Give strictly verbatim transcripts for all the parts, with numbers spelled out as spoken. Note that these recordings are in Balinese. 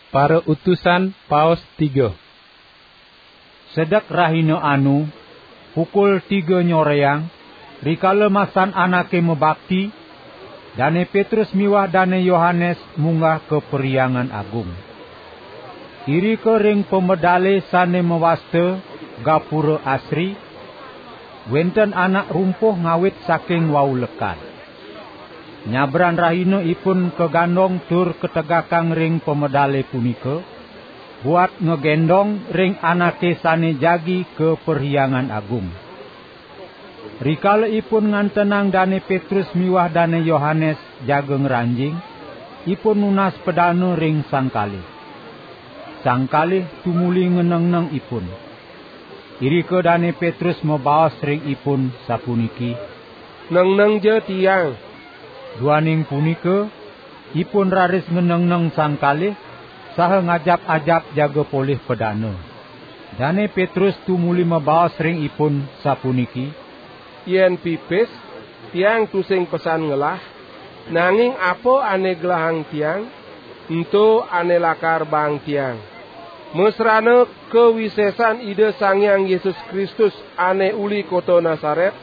Para utusan paos tiga. Sedek rahina anu, pukul tiga nyoreang, rikala masan anake mabakti, Dane Petrus miwah Dane Yohanes munggah ka Perhyangan Agung. Irika ring pamedale sane mawasta Gapura Asri, wenten anak rumpuh ngawit saking wau lekad. Nyabran rahina ipun kagandong tur kategakang ring pamedale punika, buat ngagendong ring anake sane jagi ka Perhyangan Agung. Rikala ipun ngantenang Dane Petrus miwah Dane Yohanes jaga ngranjing, ipun nunas padana ring sang kalih. Sang kalih tumuli ngenengneng ipun. Irika Dane Petrus mabaos ring ipun sapuniki, "Nengnengja tiang." Duaning punika, ipun raris ngenengneng sang kalih, saha ngajap-ajap jaga polih padana. Dane Petrus tumuli mabaos ring ipun sapuniki, "Yen pipis, tiang tusing pesan ngelah, nanging apa ane gelahang tiang, ento ane lakar baang tiang. Masrana kawisesan Ida Sang Hyang Yesus Kristus ane uli kota Nasaret,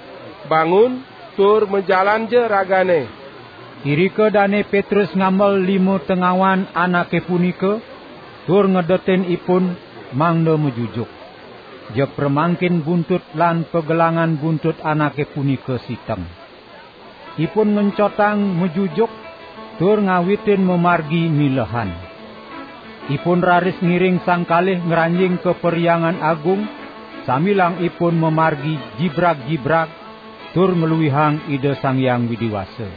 bangun tur majalanja ragane." Irika Dane Petrus ngamel lima tengawan anake punika, tur ngedetin ipun mangda majujuk. Jeg pramangkin buntut lan pagelangan buntut anake punika siteng. Ipun ngencotang majujuk tur ngawitin mamargi milehan. Ipun raris ngiring sang kalih ngranjing ka Perhyangan Agung, sambilang ipun mamargi jibrag-jibrag tur ngluihang Ida Sang Hyang Widi Wasa.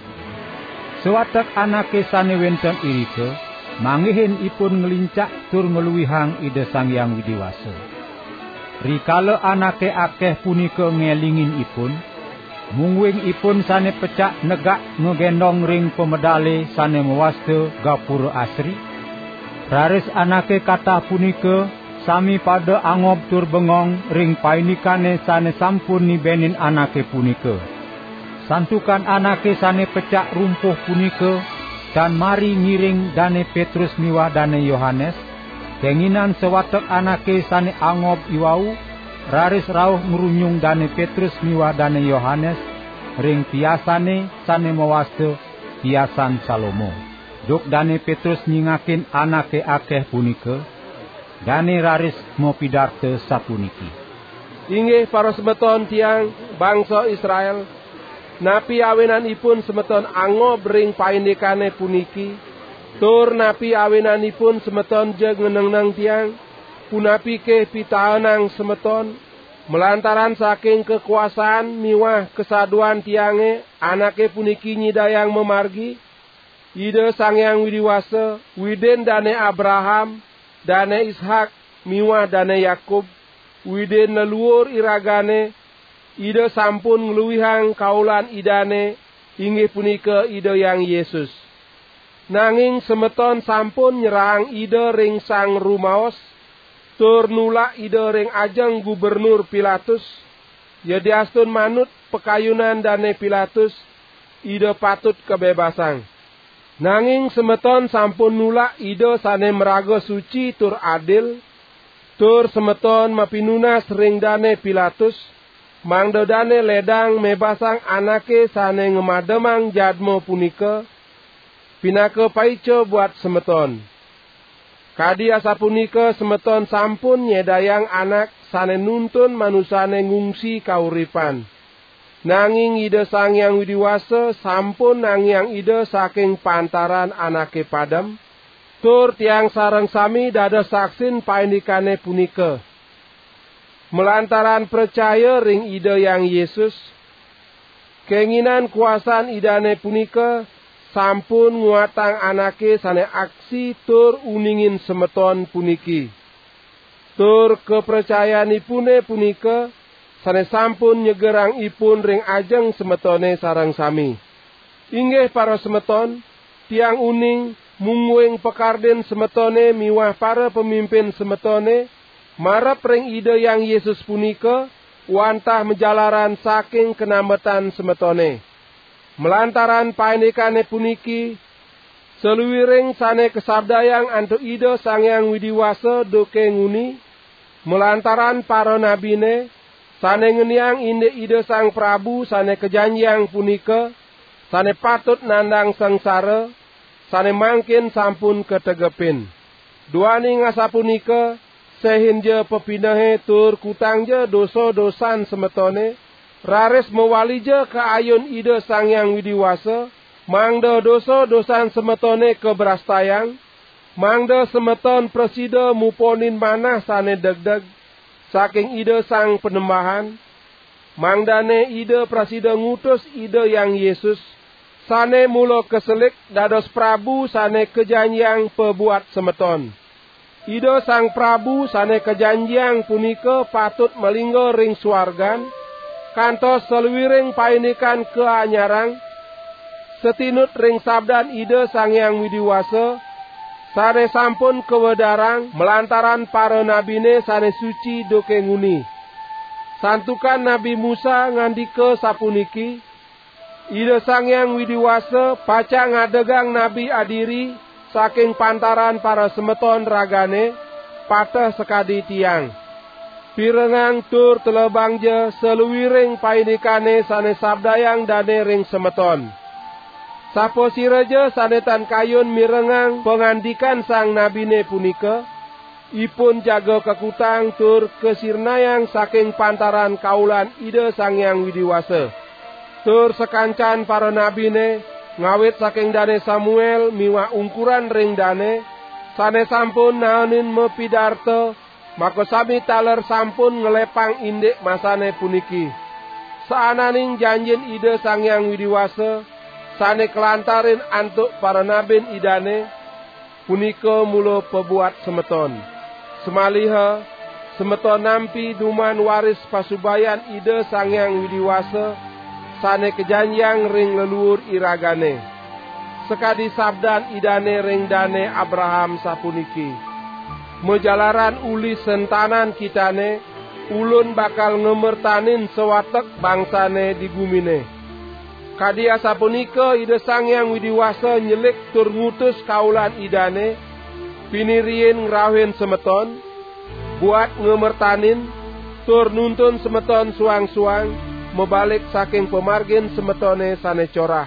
Sawatek anake sane wenten irika, manggihin ipun nglincak tur ngluihang Ida Sang Hyang Widi Wasa. Rikala anake akeh punika ngelingin ipun, mungguing ipun sane pecak negak ngagendong ring pamedale sane mawasta Gapura Asri, raris anake katah punika sami pada angob tur bengong ring paindikane sane sampun nibenin anake punika. Santukan anake sane pecak rumpuh punika tan mari ngiring Dane Petrus miwah Dane Yohanes, kenginan sawatek anake sane angob iwau raris rauh ngrunyung Dane Petrus miwah Dane Yohanes ring piasane sane mawasta Piasan Salomo. Duk Dane Petrus nyingakin anake akeh punika, dane raris mapidarta sapuniki, "Inggih parasemeton tiang, bangsa Israel, napi awinanipun semeton angob ring paindikane puniki, tur napi awinanipun semeton jeg ngenengneng tiang? Punapike pitaenang semeton, malantaran saking kakuasaan miwah kasaduan tiange anake puniki nyidayang mamargi? Ida Sang Hyang Widi Wasa, Widin Dane Abraham, Dane Ishak, miwah Dane Yakub, Widin leluur iragane, Ida sampun ngluihang kaulan Idane, inggih punika Ida Hyang Yesus. Nanging semeton sampun nyerahang Ida ring sang rumaos, tur nulak Ida ring ajeng Gubernur Pilatus, yadiastun manut pakayunan Dane Pilatus, Ida patut kabebasang. Nanging semeton sampun nulak Ida sane maraga suci tur adil, tur semeton mapinunas ring Dane Pilatus, mangda dane ledang mebasang anake sane ngamademang jadma punika, pinaka paica buat semeton. Kadi asapunika semeton sampun nyedayang anak sane nuntun manusane ngungsi kauripan. Nanging Ida Sang Hyang Widi Wasa sampun nangiang Ida saking pantaran anake padem, tur tiang sareng sami dados saksin paindikane punika. Malantaran pracaya ring Ida Hyang Yesus, kenginan kuasan Idane punika sampun nguatang anake sane aksi tur uningin semeton puniki. Tur kapracayanipune punika sane sampun nyegerang ipun ring ajeng semetone sareng sami. Inggih parasemeton, tiang uning, mungguing pakardin semetone miwah para pamimpin semetone, marep ring Ida Hyang Yesus punika, wantah majalaran saking kanambetan semetone. Malantaran paindikane puniki, Saluiring sane kasabdayang antuk Ida Sang Hyang Widi Wasa duke nguni, malantaran para nabine, sane ngeniang indik Ida Sang Prabu sane kajanjiang punika, sane patut nandang sangsara, sane mangkin sampun kategepin. Duaning asapunika, sehinja pepinehe tur kutangja dosa-dosan semetone, raris mawalija ka ayun Ida Sang Hyang Widi Wasa, mangda dosa-dosan semetone kabrastayang, mangda semeton prasida muponin manah sane degdeg saking Ida Sang Panembahan, mangdane Ida prasida ngutus Ida Hyang Yesus, sane mula kaselik dados Prabu sane kajanjiang pabuat semeton. Ida Sang Prabu sane kajanjiang punika patut malingga ring suargan, kantos saluiring paindikan kaanyarang, satinut ring sabdan Ida Sang Hyang Widi Wasa, sane sampun kawedarang malantaran para nabine sane suci duke nguni. Santukan Nabi Musa ngandika sapuniki, Ida Sang Hyang Widi Wasa pacang ngadegang nabi adiri saking pantaran para semeton ragane, pateh sakadi tiang. Pirengang tur telebangja saluiring paindikane sane sabdayang dane ring semeton. Sapasiraja sane tan kayun mirengang pangandikan sang nabine punika, ipun jaga kakutang tur kasirnayang saking pantaran kaulan Ida Sang Hyang Widi Wasa. Tur sakancan para nabine, ngawit saking Dane Samuel miwah ungkuran ring dane, sane sampun naenin mapidarta, makasami taler sampun nglepang indik masane puniki. Saananing janjin Ida Sang Hyang Widi Wasa, sane kalantarin antuk para nabin Idane, punika mula pabuat semeton. Samaliha, semeton nampi duman waris pasubayan Ida Sang Hyang Widi Wasa, sane kajanjiang ring leluur iragane. Sakadi sabdan Idane ring Dane Abraham sapuniki, "Majalaran uli sentanan kitane, Ulun bakal ngamertanin sawatek bangsane di gumine." Kadi asapunika Ida Sang Hyang Widi Wasa nyelik tur ngutus kaulan Idane, pinih riin ngrauhin semeton, buat ngamertanin, tur nuntun semeton suang-suang mabalik saking pamargin semetone sane corah.